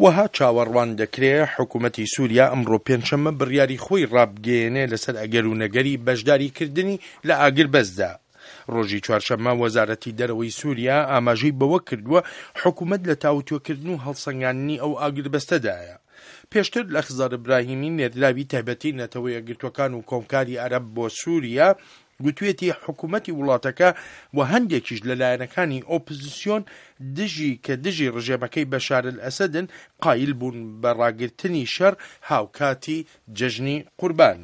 وەها چاوەڕوان دەکرێ حکومەتی سوریا ئەمڕۆ پێنجشەممە بڕیاری خۆی ڕابگەیەنێ لەسەر ئەگەر و نەگەری بەشداریکردنی لە ئاگربەستدا. ڕۆژی چوارشەممە وەزارەتی دەرەوەی سوریا ئاماژەی بەوە کردووە حکومەت لە تاوتوێکردن و هەڵسەنگاندنی ئەو ئاگربەستەدایە. پێشتر لەخزەر ئیبراهیمی نێردراوی تایبەتی نەتەوە یەکگرتووەکان و کۆمکاری عەرەب بۆ سوریا گوتوێتی حکومەتی وڵاتەکە و هەندێکیش لە لایەنەکانی ئۆپزسیۆن دژی کە دژی ڕژێمەکەی بەشار ئەلئەسەدن قایل بوون بە ڕاگرتنی شەڕ هاوکاتی جەژنی قوربان.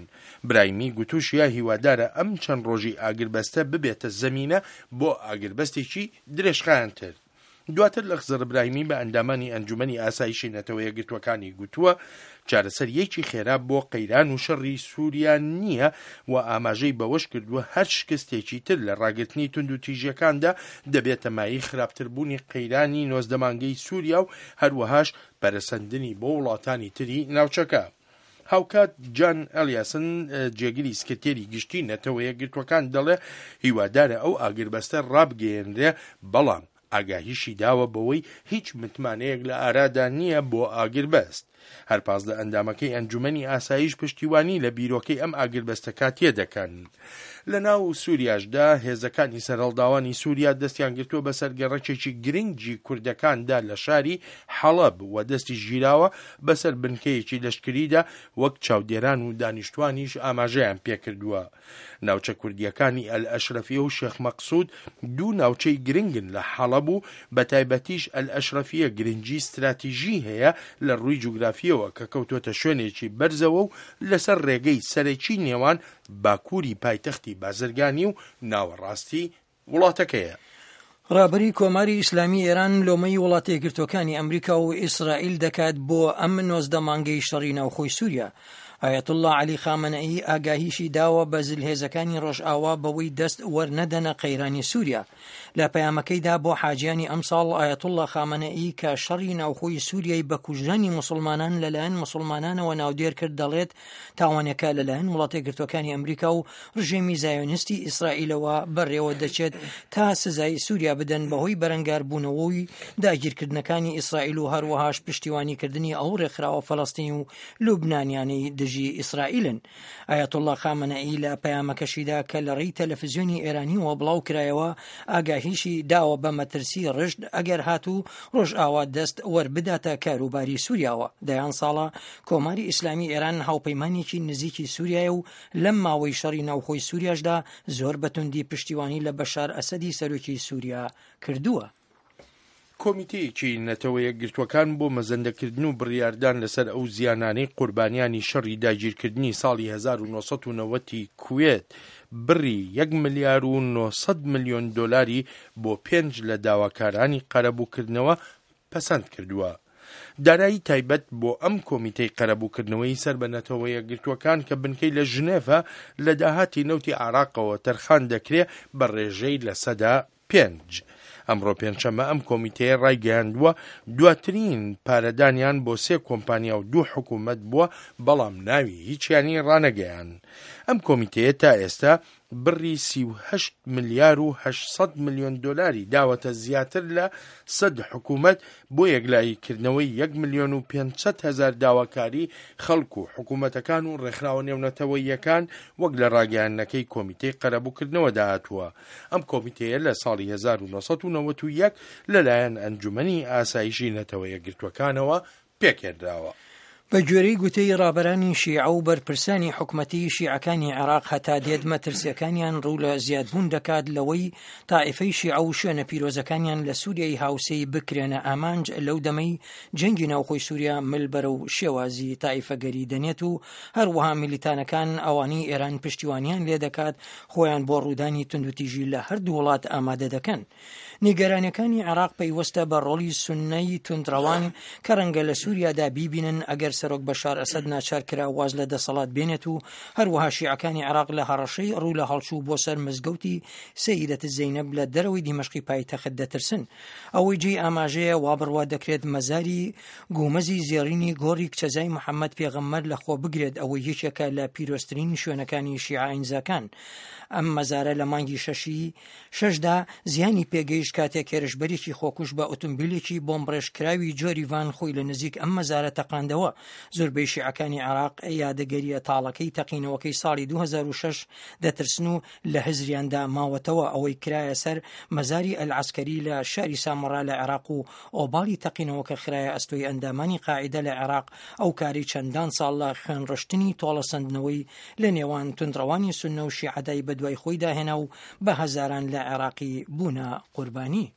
برایمی گوتوشیە هیوادارە ئەم چەند ڕۆژی ئاگربەستە ببێتە زەمینە بۆ ئاگربەستێکی درێژخایەنتر. دواتر لەخزر ئیبراهیمی بە ئەندامانی ئەنجومەنی ئاسایشی نەتەوە یەکگرتووەکانی گوتووە، چارەسەرییەکی خێرا بۆ قەیران و شەڕی سووریا نییە و ئاماژەی بەوەش کردووە، هەر شکستێکی تر لە ڕاگرتنی توندوتیژییەکاندا دەبێتە مایەی خراپتربوونی قەیرانی 19 مانگەی سووریا و هەروەهاش پەرەسەندنی بۆ وڵاتانی تری ناوچەکە. هاوکات جان ئەلیاسن جێگری سکرتێری گشتی نەتەوە یەکگرتووەکان دەڵێ هیوادارە ئەو ئاگربەستە ڕابگەیەنرێ، بەڵام ئاگاهیشی داوە بەوەی هیچ متمانەیەک لە ئارادا نییە بۆ ئاگربەست. هەر 15 ئەندامەکەی ئەنجومەنی ئاسایش پشتیوانی لە بیرۆکەی ئەم ئاگربەستە کاتییە دەکەن. لە ناو سوریاشدا هێزەکانی سەرهەڵداوانی سوریا دەستیان گرتووە بەسەر گەڕەکێکی گرنگی کوردەکاندا لە شاری حەڵەب و دەستیش گیراوە بەسەر بنکەیەکی لەشکریدا وەک چاودێران و دانیشتوانیش ئاماژەیان پێکردووە. ناوچە کوردییەکانی ئەلئەشرەفیە و شێخ مەقسود دوو ناوچەی گرنگن لە حەڵەب و بەتایبەتیش ئەلئەشرەفیە گرنگی ستراتیژی هەیە لە ڕووی جوگرافییەوە کە کەوتووەتە شوێنێکی بەرزەوە و لەسەر ڕێگەی سەرەکی نێوان باکووری پایتەختی بازرگانی و ناوەڕاستی وڵاتەکەیە. ڕابەری کۆماری ئیسلامی ئێران لۆمەی وڵاتە یەکگرتووەکانی ئەمریکا و ئیسرائیل دەکات بۆ ئەم 19 مانگەی شەڕی ناوخۆی سووریا. ئایەتوڵڵا عەلی خامەنەئی ئاگاهیشی داوە بە زلهێزەکانی ڕۆژئاوا بەوەی دەست وەرنەدەنە قەیرانی سووریا. لە پەیامەکەیدا بۆ حاجیانی ئەمساڵ ئایەتوڵڵا خامەنەئی کە شەڕی ناوخۆی سووریای بە کوژرانی موسڵمانان لەلایەن موسڵمانانەوە ناودێر کرد دەڵێت تاوانەکە لەلایەن وڵاتە یەکگرتووەکانی ئەمریکا و ڕژێمی زایۆنیستی ئیسرائیلەوە بەڕێوە دەچێت تا سزای سووریا بدەن بەهۆی بەرەنگاربوونەوەی داگیرکردنەکانی ئیسرائیل و هەروەهاش پشتیوانیکردنی ئەو ڕێکخراوە فەلەستینی و لوبنانیانەی دژی ئیسرائیلن. ئایەتوڵڵا خامەنەئی لە پەیامەکەشیدا کە لە ڕێی تەلەفزیۆنی ئێرانیەوە بڵاو کرایەوە، ئاگاهیشی داوە بە مەترسی ڕژد ئەگەر هاتوو ڕۆژئاوا دەست وەربداتە کاروباری سووریاوە. دەیان ساڵە کۆماری ئیسلامی ئێران هاوپەیمانێکی نزیکی سووریایە و لەم ماوەی شەڕی ناوخۆی سووریاشدا زۆر بە توندی پشتیوانی لە بەشار ئەسەدی سەرۆکی سووریا کردووە. کۆمیتەیەکی نەتەوە یەکگرتووەکان بۆ مەزەندەکردن و بڕیاردان لەسەر ئەو زیانانەی قوربانیانی شەڕی داگیرکردنی ساڵی 1990 ی کوێت بڕی یەک ملیار و 900 ملیۆن دۆلاری بۆ پێنج لە داواکارانی قەرەبووکردنەوە پەسەند کردووە. دارایی تایبەت بۆ ئەم کۆمیتەی قەرەبووکردنەوەی سەر بە نەتەوە یەکگرتووەکان کە بنکەی لە ژنێڤە لە داهاتی نەوتی عێراقەوە تەرخان دەکرێ بە ڕێژەی 5%. ئەمڕۆ پێنجشەممە ئەم کۆمیتەیە ڕایگەیاندووە، دواترین پارەدانیان بۆ سێ کۆمپانیا و دوو حکوومەت بووە، بەڵام ناوی هیچیانی ڕانەگەیاند. ئەم کۆمیتەیە تا ئێستا بڕی 38 ملیار و 800 ملیۆن دۆلاری داوەتە زیاتر لە 100 حکوومەت بۆ یەکلاییکردنەوەی یەک ملیۆن و 500 هەزار داواکاری خەڵک و حکوومەتەکان و ڕێکخراوە نێونەتەوەییەکان وەک لە ڕاگەیاندنەکەی کۆمیتەی قەرەبووکردنەوەدا هاتووە. ئەم کۆمیتەیە لە ساڵی 1991 لەلایەن ئەنجومەنی ئاسایشی نەتەوە یەکگرتووەکانەوە پێکهێنراوە. بە گوێرەی گوتەی ڕابەرانی شیعە و بەرپرسانی حکومەتی شیعەکانی عێراق هەتا دێت مەترسیەکانیان ڕوو لە زیادبوون دەکات لەوەی تائیفەی شیعە و شوێنە پیرۆزەکانیان لە سووریای هاوسێی بکرێنە ئامانج لەو دەمەی جەنگی ناوخۆی سووریا مل بەرەو شێوازی تائیفەگەری دەنێت و هەروەها میلیتانەکان ئەوانەی ئێران پشتیوانیان لێدەکات خۆیان بۆ ڕوودانی توندوتیژی لە هەردوو وڵات ئامادە دەکەن. نیگەرانیەکانی عێراق پەیوەستە بە ڕۆڵی سوننەی توندڕەوان کە ڕەنگە لە سووریادا بیبینن ئەگەر سەرۆک بەشار ئەسەد ناچار کرا واز لە دەسەڵات بێنێت و هەروەها شیعەکانی عێراق لە هەڕەشەی ڕوو لە هەڵچوو بۆ سەر مزگەوتی سەیدەت زەینەب لە دەرەوەی دیمەشقی پایتەخت دەترسن. ئەوەی جێی ئاماژەیە وا بڕوا دەکرێت مەزاری گومەزی زێڕینی گۆڕی کچەزای محەممەد پێغەمبەر لە خۆ بگرێت ئەوەی یەکێکە لە پیرۆزترین شوێنەکانی شیعە ئاینزاکان. ئەم مەزارە لە مانگی شەشی شەشدا زیانی پێگەیشت کاتێک هێرشبەرێکی خۆکوژ بە ئۆتۆمبیلێکی بۆمبڕێژکراوی جۆری ڤان خۆی لە نزیک ئەم مەزارە تەقاندەوە. زۆربەی شیعەکانی عێراق یادەگەرییە تاڵەکەی تەقینەوەکەی ساڵی 2006 دەترسن و لە هزریاندا ماوەتەوە ئەوەی کرایە سەر مەزاری ئەلعەسکەری لە شاری سامەڕا لە عێراق و ئۆباڵی تەقینەوەکە خرایە ئەستۆی ئەندامانی قاعیدە لە عێراق ئەو کارەی چەندان ساڵ لە خوێنڕشتنی تۆڵەسەندنەوەی لە نێوان توندڕەوانی سوننە و شیعەدای بەدوای خۆیدا هێنا و بە هەزاران لە عێراقی بوونە قوربانی.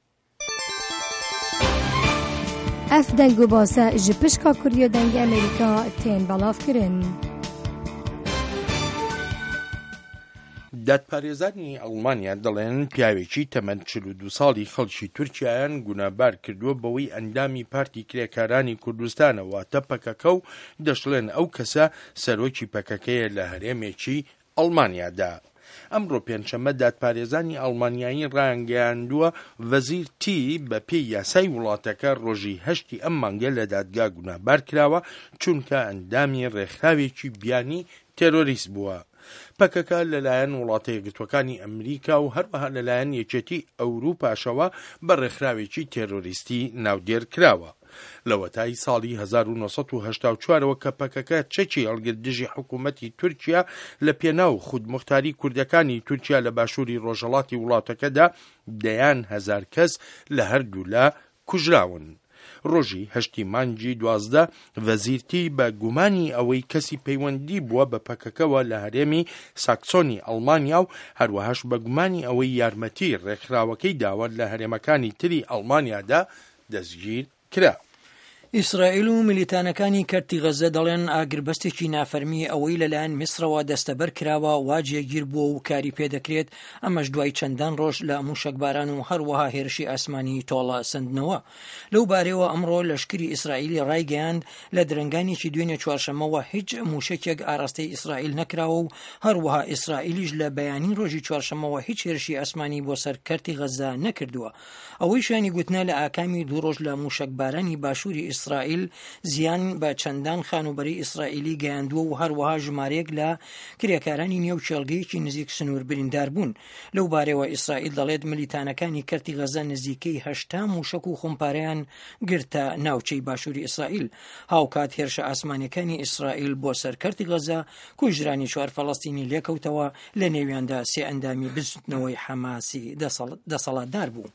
Ev deng û base ji pişka Kurdiya Dengê Amerîka tên belavkirin. دادپارێزانی ئەڵمانیا دەڵێن پیاوێکی تەمەن 42 ساڵی خەڵکی تورکیایان گونابار کردووە بەوەی ئەندامی پارتی کرێکارانی کوردستانە واتە پەکەکە و دەشڵێن ئەو کەسە سەرۆکی پەکەکەیە لە هەرێمێکی ئەڵمانیادا. ئەمڕۆ پێنجشەممە دادپارێزانی ئەڵمانیایی ڕایانگەیاندووە، ڤەزیر تی بە پێی یاسای وڵاتەکە ڕۆژی هەشتی ئەم مانگە لە دادگا گوناهبار کراوە، چونکە ئەندامی ڕێکخراوێکی بیانی تێرۆریست بووە. پەکەکە لەلایەن وڵاتە یەکگرتووەکانی ئەمریکا و هەروەها لەلایەن یەکێتی ئەوروپاشەوە بە ڕێکخراوێکی تێرۆریستی ناودێر کراوە. لەوەتای ساڵی 1984 ەوە کە پەکەکە چەکی هەڵگرت دژی حکوومەتی تورکیا لە پێناو خودموختاری کوردەکانی تورکیا لە باشووری ڕۆژهەڵاتی وڵاتەکەدا دەیان هەزار کەس لە هەردوولا کوژراون. ڕۆژی هەشتی مانگی 12 ڤەزیرتی بە گومانی ئەوەی کەسی پەیوەندی بووە بە پەکەکەوە لە هەرێمی ساکسۆنی ئەڵمانیا و هەروەهاش بە گومانی ئەوەی یارمەتی ڕێکخراوەکەی داوە لە هەرێمەکانی تری ئەڵمانیادا دەستگیر کرا. ئیسرائیل و میلیتانەکانی کەرتی غەززە دەڵێن ئاگربەستێکی نافەرمی ئەوەی لەلایەن میسرەوە دەستەبەر کراوە وا جێگیر بووە و کاری پێدەکرێت، ئەمەش دوای چەندان ڕۆژ لە موشەکباران و هەروەها هێرشی ئاسمانی تۆڵە سەندنەوە. لەو بارەیەوە ئەمڕۆ لەشکری ئیسرائیلی ڕایگەیاند لە درەنگانێکی دوێنێ چوارشەممەوە هیچ موشەکێک ئاراستەی ئیسرائیل نەکراوە و هەروەها ئیسرائیلیش لە بەیانی ڕۆژی چوارشەممەوە هیچ هێرشی ئاسمانی بۆ سەر کەرتی غەززە نەکردووە. ئەوەی شایانی گوتنە لە ئاکامی دوو ڕۆژ لە مووشەکبارانی باشووری ئیسرائیل زیان بە چەندان خانووبەرەی ئیسرائیلی گەیاندووە و هەروەها ژمارەیەک لە کرێکارانی نێو کێڵگەیەکی نزیک سنوور بریندار بوون. لەو بارەیەوە ئیسرائیل دەڵێت ملیتانەکانی کەرتی غەزە نزیکەی 80 مووشەک و خۆمپارەیان گرتە ناوچەی باشووری ئیسرائیل. هاوکات هێرشە ئاسمانیەکانی ئیسرائیل بۆ سەر کەرتی غەزە کوژرانی چوار فەڵەستینی لێکەوتەوە لە نێویاندا سێ ئەندامی بزوتنەوەی حەماسی دەسەڵاتدار بوو.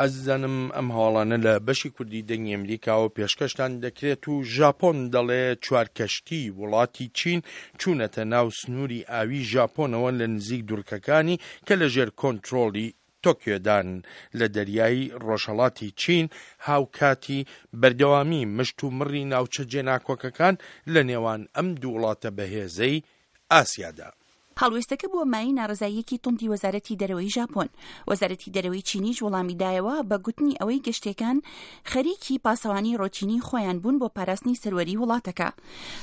ئازیزانم ئەم هەواڵانە لە بەشی کوردی دەنگی ئەمریکاوە پێشکەشتان دەکرێت و ژاپۆن دەڵێ چوار کەشتی وڵاتی چین چوونەتە ناو سنووری ئاوی ژاپۆنەوە لە نزیک دوڕکەکانی کە لەژێر کۆنترۆڵی تۆکیۆدان لە دەریای ڕۆژهەڵاتی چین هاوکاتی بەردەوامی مشت و مڕی ناوچە جێناکۆکەکان لە نێوان ئەم دوو وڵاتە بەهێزەی ئاسیادا. هەڵوێستەکە بووە مایەی ناڕەزاییەکی توندی وەزارەتی دەرەوەی ژاپۆن. وەزارەتی دەرەوەی چینیش وەڵامی دایەوە بە گوتنی ئەوەی گەشتییەکان خەریکی پاسەوانی ڕۆتینی خۆیان بوون بۆ پاراستنی سەروەری وڵاتەکە.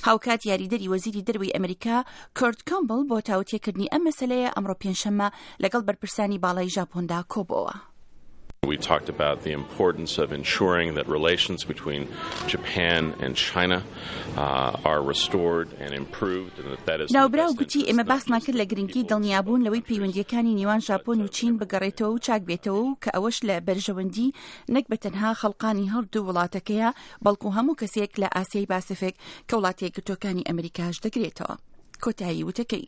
هاوکات یاریدەری وەزیری دەرەوەی ئەمریکا کۆرت کامبڵ بۆ تاوتێکردنی ئەم مەسەلەیە ئەمڕۆ پێنجشەممە لەگەڵ بەرپرسانی باڵای ژاپۆندا کۆبۆوە. We talked about the importance of ensuring that relations between Japan and China uh, are restored and improved and that that is ناوبراو گوتی ئێمە باسمان کرد لە گرنگی دڵنیابوون لەوەی پەیوەندییەکانی نێوان ژاپۆن و چین بگەڕێتەوە و چاک بێتەوە و کە ئەوەش لە بەرژەوەندی نەک بە تەنها خەڵقانی هەردوو وڵاتەکەیە بەڵکو هەموو کەسێک لە ئاسیای باسیفیک کە وڵاتە یەکگرتووەکانی ئەمریکاش دەگرێتەوە. کۆتایی وتەکەی.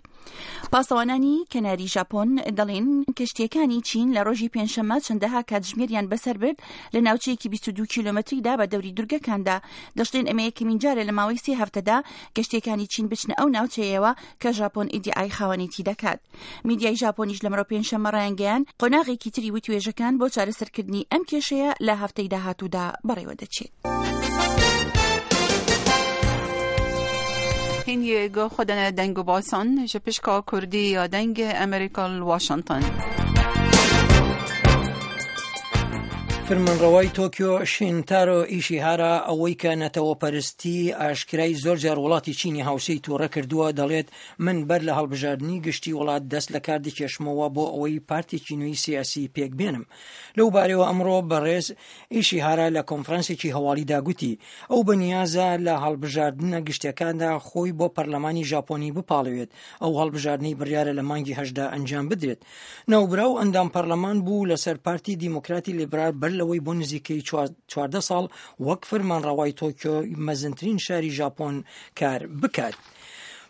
پاسەوانانی کەناری ژاپۆن دەڵێن کەشتیەکانی چین لە ڕۆژی پێنجشەممە چەندەها کاتژمێریان بەسەر برد لە ناوچەیەکی 22 کیلۆمەتریدا بە دەوری دورگەکاندا. دەشڵێن ئەمە یەکەمین جارە لە ماوەی سێ هەفتەدا کەشتیەکانی چین بچنە ئەو ناوچەیەوە کە ژاپۆن ئیدیعای خاوەنێتی دەکات. میدیای ژاپۆنیش لەمڕۆ پێنجشەممە ڕایانگەیاند قۆناغێکی تری وتوێژەکان بۆ چارەسەرکردنی ئەم کێشەیە لە هەفتەی داهاتوودا بەڕێوەدەچێت. هینگی گو خودن دەنگ و باسان ji pişka Kurdî ya Dengê Amerîka li Washington. فەرمانڕەوای تۆکیۆ شینتارۆ ئیشیهارا ئەوەی کە نەتەوەپەرستی ئاشکرای زۆر جار وڵاتی چینی هاوسێی تووڕە کردووە دەڵێت من بەر لە هەڵبژاردنی گشتی وڵات دەست لە کار دەکێشمەوە بۆ ئەوەی پارتێکی نوێی سیاسی پێک بێنم. لەو بارەوە ئەمڕۆ بەڕێز ئیشیهارا لە کۆنفرانسێکی هەواڵیدا گوتی ئەو بەنیازە لە هەڵبژاردنە گشتیەکاندا خۆی بۆ پەرلەمانی ژاپۆنی بپاڵێوێت ئەو هەڵبژاردنەی بڕیارە لە مانگی هەشتدا ئەنجام بدرێت. ناوبراو ئەندام پەرلەمان بوو لەسەر پارتی دیموکراتی لیبرال بەر لەوەی بۆ نزیکەی 14 ساڵ وەک فەرمانڕەوای تۆکیۆ مەزنترین شاری ژاپۆن کار بکات.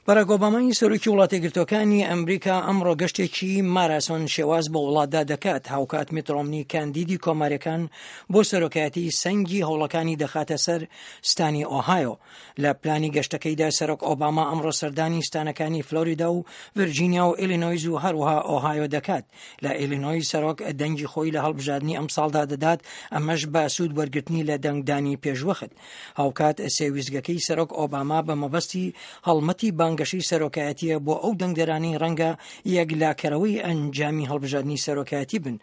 باراک ئۆبامای سەرۆکی وڵاتەیەکگرتووەکانی ئەمریکا ئەمڕۆ گەشتێکی ماراسۆن شێواز بە وڵاتدا دەکات هاوکات میت ڕۆمنی کاندیدی کۆماریەکان بۆ سەرۆکایەتی سەنگی هەوڵەکانی دەخاتە سەر ستانی ئۆهایۆ لە پلانی گەشتەکەیدا سەرۆک ئۆباما ئەمڕۆ سەردانی ستانەکانی فلۆریدا و ڤرجینیا و ئیلینۆیز و هەروەها ئۆهایۆ دەکات لە ئیلینۆی سەرۆک دەنگی خۆی لە هەڵبژاردنی ئەمساڵدا دەدات ئەمەش بە سوود وەرگرتنی لە دەنگدانی پێشوەخت هاوکات سێ ویستگەکەی سەرۆک ئۆباما بە مەبەستی هەڵمەتی بانگەشەی سەرۆکایەتیە بۆ ئەو دەنگدەرانەی ڕەنگە یەکلاکەرەوەی ئەنجامی هەڵبژاردنی سەرۆکایەتی بن.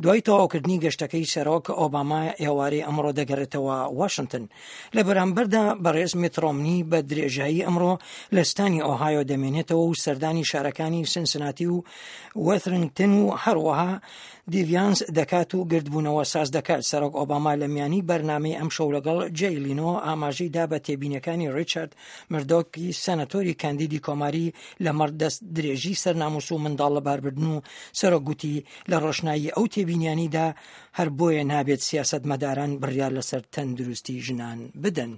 دوای تەواوکردنی گەشتەکەی سەرۆک ئۆباما ئێوارەی ئەمڕۆ دەگەڕێتەوە واشنتن. لە بەرامبەردا بەڕێز میت ڕۆمنی بە درێژایی ئەمڕۆ لە ستانی ئۆهایۆ دەمێنێتەوە و سەردانی شارەکانی سنسناتی و وەثرنگتن و هەروەها دیڤیانس دەکات و گردبوونەوە ساز دەکات. سەرۆک ئۆباما لە میانی بەرنامەی ئەمشەو لەگەڵ جەی لینۆ ئاماژەی دا بە تێبینیەکانی ڕیچارد مردۆکی سەنەتۆری کاندیدی کۆماری لەمەڕ دەست درێژی سەر ناموس و منداڵ لەباربردن و سەرۆک گوتی لە ڕۆشنایی ئەو تێبینیانەیدا هەر بۆیە نابێت سیاسەتمەداران بڕیار لەسەر تەندروستی ژنان بدەن.